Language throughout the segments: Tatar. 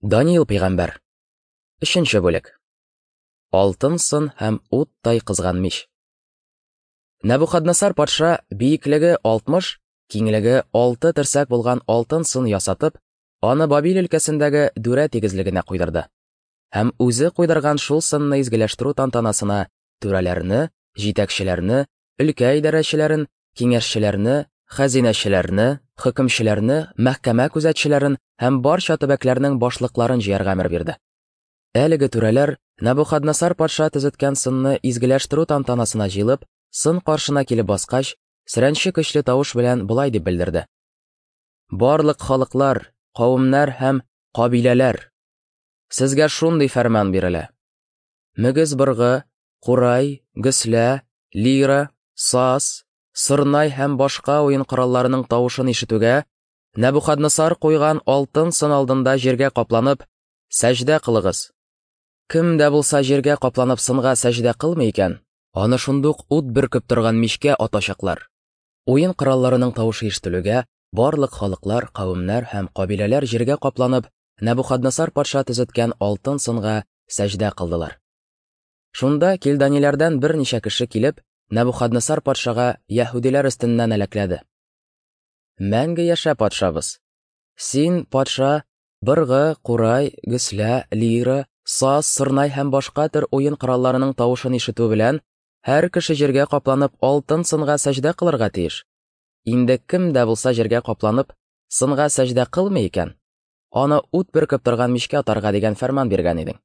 Даниил пәйгамбәр. Өченче бүлек. Алтын сын һәм уттай кызган мич. Нәбухаднасар патша биеклеге 60, киңлеге 6 терсәк булган алтын сын ясатып, аны Бабил өлкәсендәге Дүрә тигезлегенә куйдырды. Һәм үзе куйдырган шул сынны изгеләштерү тантанасына түрәләрне, җитәкчеләрне, өлкә идарәчеләрен, киңәшчеләрне, хәзинәчеләрне, хөкемчеләрне, мәхкәмә күзәтчеләрен һәм барча төбәкләрнең башлыкларын җыярга әмер бирде. Әлеге түрәләр Набухаднасар патша төзеткән сынны изгеләштерү тантанасына җыелып, сын каршына килеп баскач, сөрәнче көчле тавыш белән болай дип белдерде: Барлык халыклар, кавемнәр һәм кабиләләр, сезгә шундый фәрман бирелә: мөгез быргы, курай, гөслә, лира, саз, сорнай һәм башка уен коралларының тавышын ишетүгә, Нәбухаднасар куйган алтын сын алдында җиргә капланып, сәҗдә кылыгыз. Кем дә булса җиргә капланып сынга сәҗдә кылмый икән, аны шундук ут бөркеп торган мичкә атачаклар. Уен коралларының тавышы ишетелүгә, барлык халыклар, кавемнәр һәм кабиләләр җиргә капланып, Нәбухаднасар патша төзеткән алтын сынга сәҗдә кылдылар. Шунда килданиләрдән берничә кеше килеп, Нәбухаднасар патшага яһүдиләр өстеннән әләкләде. Мәңге яшә, патшабыз! Син, патша, быргы, курай, гөслә, лира, саз, сорнай һәм башка төр уен коралларының тавышын ишетү белән, һәр кеше җиргә капланып алтын сынга сәҗдә кылырга тиеш. Инде кем дә булса җиргә капланып, сынга сәҗдә кылмый икән, аны ут бөркеп торган мичкә атарга дигән фәрман биргән идең.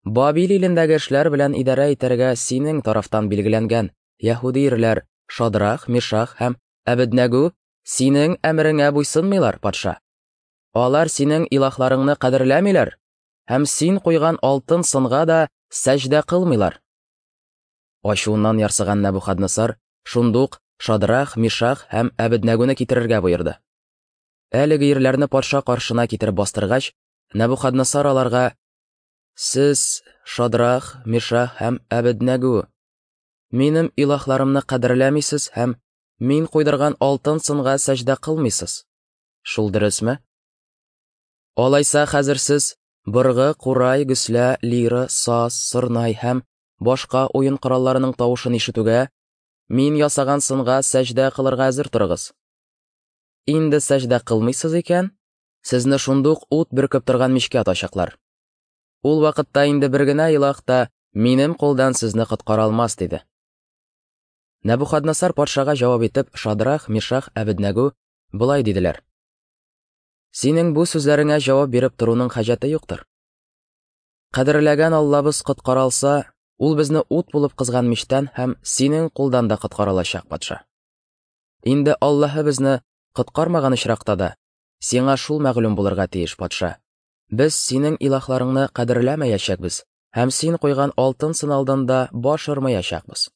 Бабил илендәге эшләр белән идарә итәргә синең тарафтан билгеләнгән яһүди ирләр Шадрах, Мишах һәм Әбеднәгү синең әмереңә буйсынмыйлар, патша. Алар синең илаһларыңны кадерләмиләр һәм син куйган алтын сынга да сәҗдә кылмыйлар. Ачуыннан ярсыган Нәбухаднасар шундук Шадрах, Мишах һәм Әбеднәгүне китерергә боерды. Әлеге ирләрне патша каршына китереп бастыргач, Нәбухаднасар аларга: "Сез, Шадрах, Мишах һәм Әбеднәгү, минем илаһларымны кадерләмисез һәм мин куйдырган алтын сынга сәҗдә кылмыйсыз. Шул дөресме? Алайса хәзер сез быргы, курай, гөслә, лира, саз, сорнай һәм башка уен коралларының тавышын ишетүгә, мин ясаган сынга сәҗдә кылырга әзер торыгыз. Инде сәҗдә кылмыйсыз икән, сезне шундук ут бөркеп торган мичкә атачаклар. Ул вакытта инде бер генә илаһ та минем кулдан сезне коткара алмас, диде. Нәбухаднасар патшага җавап итеп, Шадрах, Мишах, Әбеднәгү болай диделәр: Синең бу сүзләреңә җавап биреп торуның хаҗәте юктыр. Кадерләгән Аллабыз коткара алса, ул безне ут булып кызган мичтән һәм синең кулдан да коткара алачак, патша. Инде Аллаһы безне коткармаган очракта да, сиңа шул мәгълүм булырга тиеш, патша. Без синең илаһларыңны кадерләмәячәкбез һәм син куйган алтын сын алдында баш ормаячакбыз.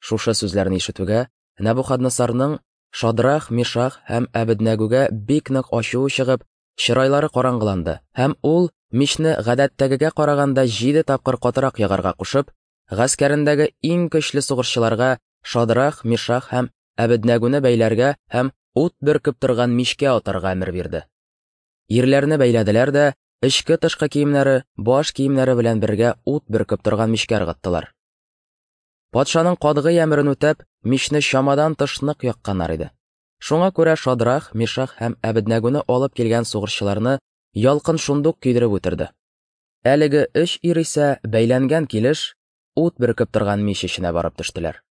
Шушы сүзләрне ишетүгә, Нәбухаднасарның Шадрах, Мишах һәм Әбеднәгүгә бик нык ачуы чыгып, чырайлары караңгыланды, һәм ул мичне гадәттәгегә караганда 7 тапкыр катырак ягарга кушып, гаскәрендәге иң көчле сугышчыларга Шадрах, Мишах һәм Әбеднәгүне бәйләргә һәм ут бөркеп торган мичкә атарга әмер бирде. Ирләрне бәйләделәр дә, эчке тышкы киемнәре, баш киемнәре белән бергә ут бөркеп торган мичкә ыргыттылар. Патшаның катгый әмерен үтәп, мичне чамадан тыш нык якканнар иде. Шуңа күрә Шадрах, Мишах һәм Әбеднәгүне алып килгән сугышчыларны ялкын шундук көйдереп үтерде. Әлеге өч ир исә бәйләнгән килеш ут бөркеп торган мич эченә барып төштеләр.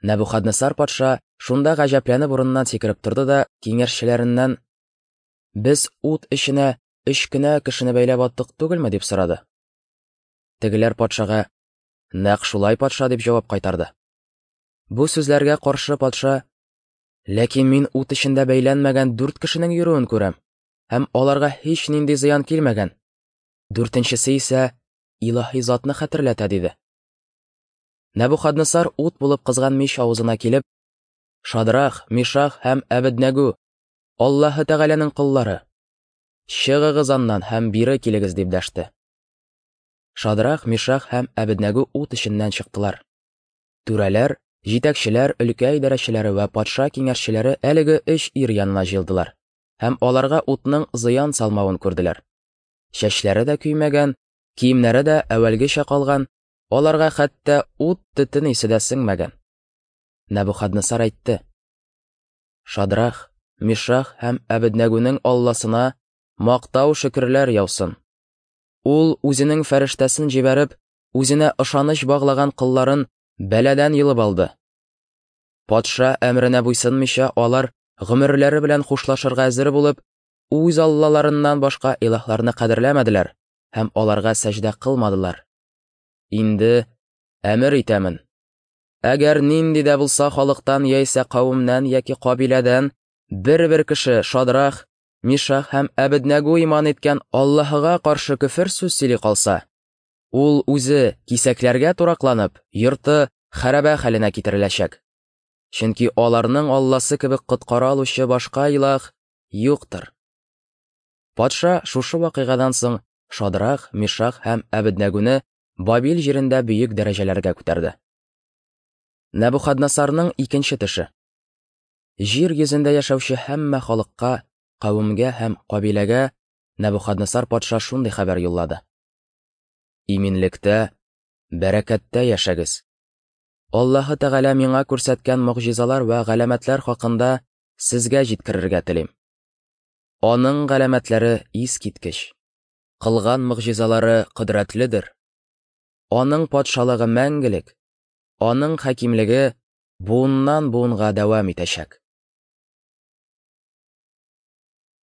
Нәбухаднасар патша шунда гаҗәпләнеп урыныннан сикереп торды да киңәшчеләреннән: "Без ут эченә өч кенә кешене бәйләп аттык түгелме?" дип сорады. Тегеләр патшага: "Нәкъ шулай, патша", дип җавап кайтарды. Бу сүзләргә каршы патша: "Ләкин мин ут эчендә бәйләнмәгән 4 кешенең йөрүен күрәм, һәм аларга һич нинди зыян килмәгән. Дүртенчесе исә илаһи затны хәтерләтә", диде. Нәбухаднасар ут булып кызган мич авызына килеп: "Шадрах, Мишах һәм Әбеднәгү, Аллаһы Тәгаләнең коллары, чыгыгыз аннан һәм бире килегез", дип дәште. Шадрах, Мишах һәм Әбеднәгү ут эченнән чыктылар. Түрәләр, җитәкчеләр, өлкә идарәчеләре вә патша киңәшчеләре әлеге өч ир янына җыелдылар. һәм аларга утның зыян салмавын күрделәр. Чәчләре дә көймәгән, киемнәре дә әүвәлгечә калган, аларга хәтта ут төтен исе дә сеңмәгән. Нәбухаднасар әйтте: Шадрах, Мишах һәм Әбеднәгүнең Алласына мактау шөкерләр яусын. Ул үзенең фәрештәсен җибәреп, үзенә ышаныч баглаган колларын бәладән йолып алды. Патша әмеренә буйсынмыйча, алар гомерләре белән хушлашырга әзер булып, үз аллаларыннан башка илаһларны кадерләмәделәр һәм аларга сәҗдә кылмадылар. Инде әмер итәмен. Әгәр нинди дә булса халыктан яисә кавемнән яки кабиләдән бер-бер кеше Шадрах, Мишах һәм Әбеднәгу иман иткән Аллаһыга каршы көфер сүз сөйли калса, ул үзе кисәкләргә туракланып, йорты хәрабә хәленә китереләчәк. Чөнки аларның Алласы кебек коткара алучы башка илаһ юктыр. Патша шушы вакыйгадан соң Шадрах, Мишах һәм Әбеднәгуне Бабил җирендә бөек дәрәҗәләргә күтәрде. Нәбухаднасарның икенче төше. Җир йөзендә яшәүче һәммә халыкка, кавемгә һәм кабиләгә Нәбухаднасар патша шундый хәбәр юллады. Иминлектә, бәрәкәттә яшәгез. Аллаһы Тәгалә миңа күрсәткән могҗизалар вә галәмәтләр хакында сезгә җиткерергә телим. Аның галәмәтләре искиткеч. Кылган могҗизалары кодрәтледер. Аның патшалыгы мәңгелек, аның хакимлеге буыннан буынга дәвам итәчәк.